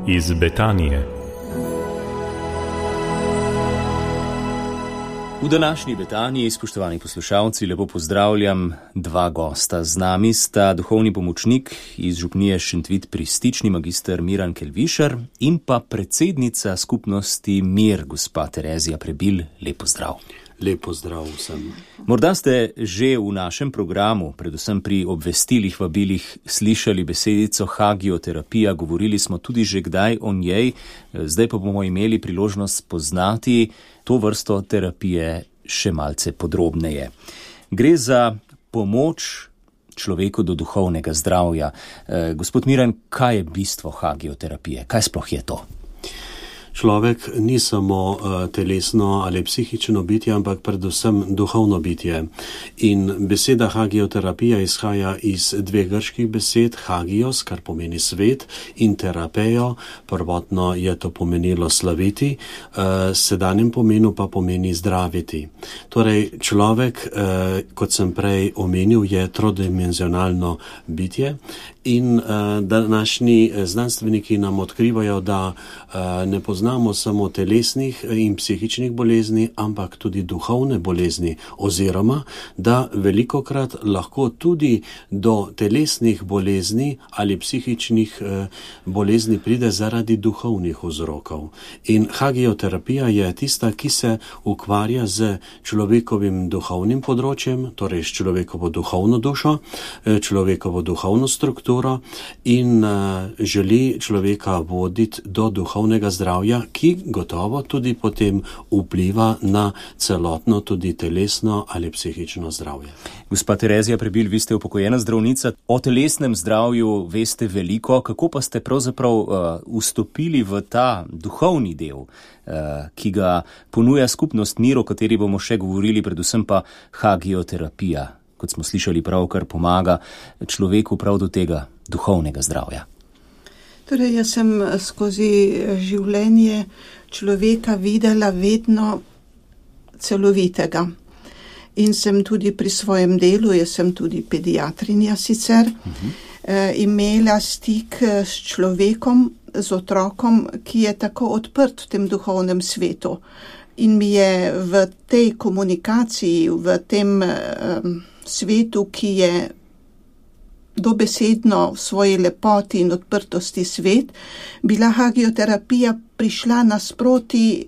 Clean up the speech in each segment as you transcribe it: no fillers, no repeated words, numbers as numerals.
iz Betanije. V današnji Betaniji, spoštovani poslušalci, lepo pozdravljam dva gosta. Z nami sta duhovni pomočnik iz župnije Šentvit pri Stični, magister Miran Kelvišar, in pa predsednica skupnosti Mir, gospa Terezija Prebil. Lep pozdrav. Lep pozdrav vsem. Morda ste že v našem programu, predvsem pri obvestilih, vabilih, slišali besedico hagioterapija, govorili smo tudi že kdaj o njej, zdaj pa bomo imeli priložnost spoznati to vrsto terapije še malce podrobneje. Gre za pomoč človeku do duhovnega zdravja. Gospod Miran, kaj je bistvo hagioterapije? Kaj sploh je to? Človek ni samo telesno ali psihično bitje, ampak predvsem duhovno bitje. In beseda hagioterapija izhaja iz dveh grških besed, hagios, kar pomeni svet, in terapejo, prvotno je to pomenilo slaviti, sedanjem pomenu pa pomeni zdraviti. Torej, človek, kot sem prej omenil, je trodimenzionalno bitje in današnji znanstveniki nam odkrivajo, da ne poznamo samo telesnih in psihičnih bolezni, ampak tudi duhovne bolezni, oziroma da velikokrat lahko tudi do telesnih bolezni ali psihičnih bolezni pride zaradi duhovnih vzrokov. In hagioterapija je tista, ki se ukvarja z človekovim duhovnim področjem, torej s človekovo duhovno dušo, človekovo duhovno strukturo in želi človeka voditi do duhovnega zdravja, ki gotovo tudi potem vpliva na celotno tudi telesno ali psihično zdravje. Gospa Terezija Prebil, vi ste upokojena zdravnica. O telesnem zdravju veste veliko. Kako pa ste pravzaprav vstopili v ta duhovni del, ki ga ponuja skupnost Mir, o kateri bomo še govorili, predvsem pa hagioterapija, kot smo slišali, pravkar pomaga človeku prav do tega duhovnega zdravja? Torej, jaz sem skozi življenje človeka videla vedno celovitega. In sem tudi pri svojem delu, jaz sem tudi pediatrinja sicer, imela stik s človekom, z otrokom, ki je tako odprt v tem duhovnem svetu. In mi je v tej komunikaciji, v tem svetu, ki je dobesedno v svoji lepoti in odprtosti svet, bila hagioterapija prišla nasproti,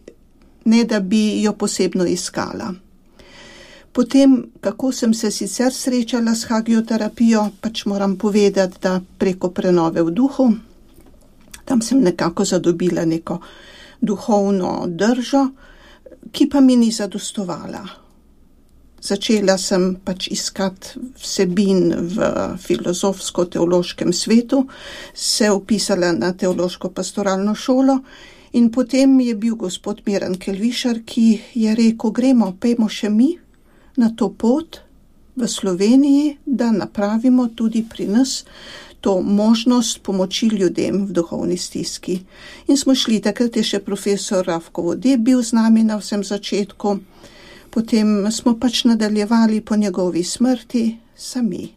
ne da bi jo posebno iskala. Potem, kako sem se sicer srečala s hagioterapijo, pač moram povedati, da preko prenove v duhu, tam sem nekako zadobila neko duhovno držo, ki pa mi ni zadostovala. Začela sem pač iskati vsebin v filozofsko-teološkem svetu, se vpisala na teološko-pastoralno šolo in potem je bil gospod Miran Kelvišar, ki je rekel, pejmo še mi na to pot v Sloveniji, da napravimo tudi pri nas to možnost pomoči ljudem v duhovni stiski. In smo šli, takrat je še profesor Rafko Vode bil z nami na vsem začetku. Potem smo pač nadaljevali po njegovi smrti sami.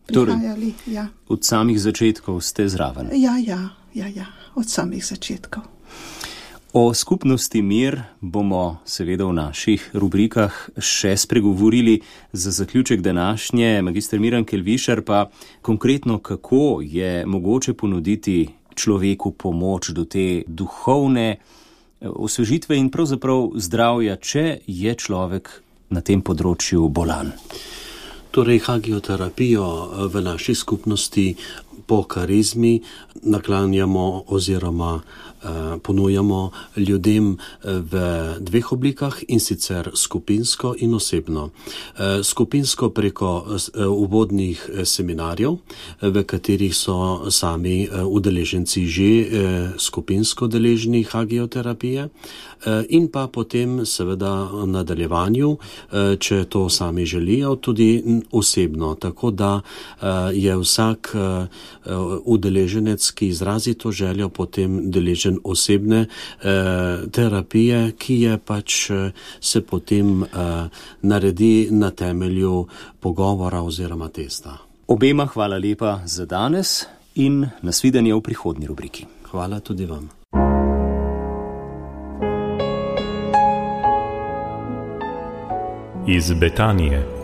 Prihajali, torej, od samih začetkov ste zraven? Ja, od samih začetkov. O skupnosti Mir bomo seveda v naših rubrikah še spregovorili. Za zaključek današnje, magister Miran Kelvišar, pa konkretno, kako je mogoče ponuditi človeku pomoč do te duhovne osvežitve in pravzaprav zdravja, če je človek na tem področju bolan? Torej, hagioterapijo v naši skupnosti po karizmi naklanjamo oziroma ponujamo ljudem v dveh oblikah, in sicer skupinsko in osebno. Skupinsko preko uvodnih seminarjev, v katerih so sami udeleženci že skupinsko deležni hagioterapije, in pa potem seveda v nadaljevanju, če to sami želijo, tudi osebno. Tako da je vsak udeleženec, ki izrazi to željo, potem deležen osebne terapije, ki je pač se potem naredi na temelju pogovora oziroma testa. Obema hvala lepa za danes in nasvidenje v prihodnji rubriki. Hvala tudi vam. Iz Betanije.